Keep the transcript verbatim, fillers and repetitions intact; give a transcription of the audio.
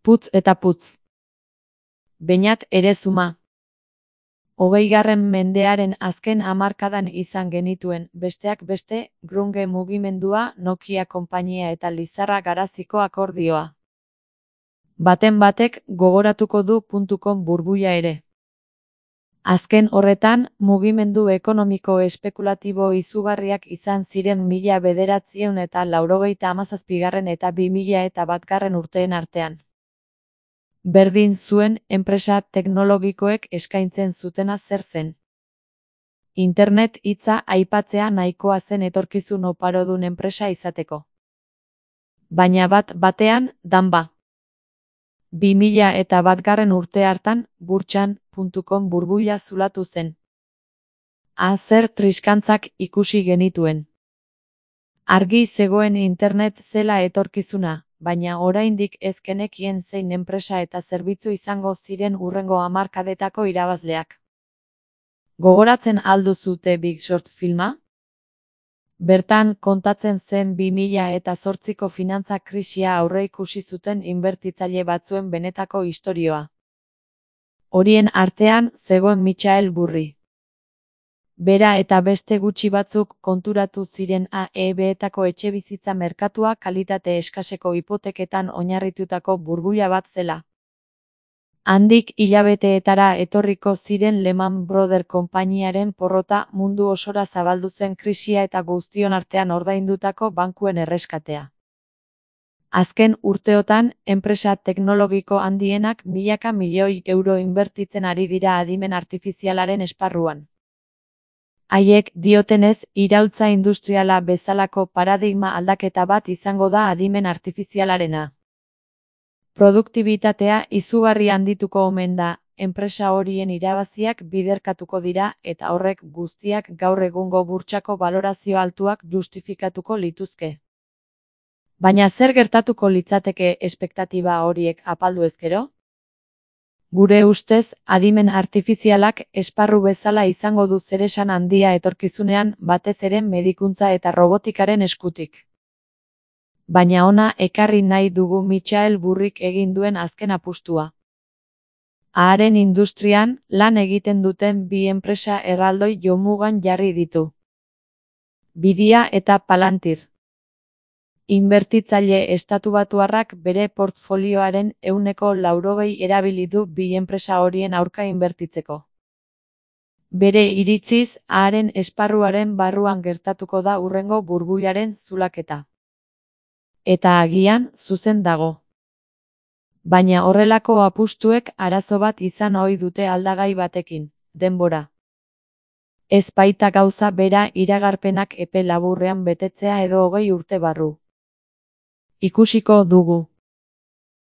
Putz eta putz. Beñat Erezuma. Hogeigarren mendearen azken hamarkadan izan genituen, besteak beste, grunge mugimendua, Nokia konpainia eta Lizarra Garaziko akordioa. Baten batek gogoratuko du .com burbuila ere. Azken horretan, mugimendu ekonomiko espekulatibo izugarriak izan ziren mila bederatziehun eta laurogeita hamazazpigarren eta bi mila eta batgarren urteen artean. Berdin zuen enpresa teknologikoek eskaintzen zutena zer zen. Internet hitza aipatzea nahikoa zen etorkizun oparodun enpresa izateko. Baina bat batean, danba. bi mila eta batgarren urte hartan, burtsan .com burbuila zulatu zen. A zer triskantzak ikusi genituen. Argi zegoen internet zela etorkizuna, baina oraindik ez genekien zein enpresa eta zerbitzu izango ziren hurrengo hamarkadetako irabazleak. Gogoratzen al duzue Big Short filma? Bertan kontatzen zen bi mila eta zortziko finantza krisia aurreikusi zuten inbertitzaile batzuen benetako istorioa. Horien artean zegoen Michael Burry. Bera eta beste gutxi batzuk konturatu ziren A E B-etako etxebizitza merkatua kalitate eskaseko hipoteketan oinarritutako burbuila bat zela. Handik hilabeteetara etorriko ziren Lehman Brothers konpainiaren porrota, mundu osora zabaldu zen krisia eta guztion artean ordaindutako bankuen erreskatea. Azken urteotan, enpresa teknologiko handienak milaka milioi euro inbertitzen ari dira adimen artifizialaren esparruan. Haiek diotenez, iraultza industriala bezalako paradigma aldaketa bat izango da adimen artifizialarena. Produktibitatea izugarri handituko omen da, enpresa horien irabaziak biderkatuko dira eta horrek guztiak gaur egungo burtsako balorazio altuak justifikatuko lituzke. Baina zer gertatuko litzateke espektatiba horiek apaldu ezkero? Gure ustez, adimen artifizialak esparru bezala izango du zeresan handia etorkizunean, batez ere medikuntza eta robotikaren eskutik. Baina hona ekarri nahi dugu Michael Burryk egin duen azken apustua. Aharen industrian, lan egiten duten bi enpresa erraldoi jomugan jarri ditu. Bidia eta Palantir. Inbertitzaile estatubatuarrak bere portfolioaren ehuneko laurogei erabili du bi enpresa horien aurka inbertitzeko. Bere iritziz, aharen esparruaren barruan gertatuko da hurrengo burbuilaren zulaketa. Eta agian, zuzen dago. Baina horrelako apustuek arazo bat izan ohi dute aldagai batekin, denbora. Ez baita gauza bera iragarpenak epe laburrean betetzea edo hogei urte barru. Ikusiko dugu.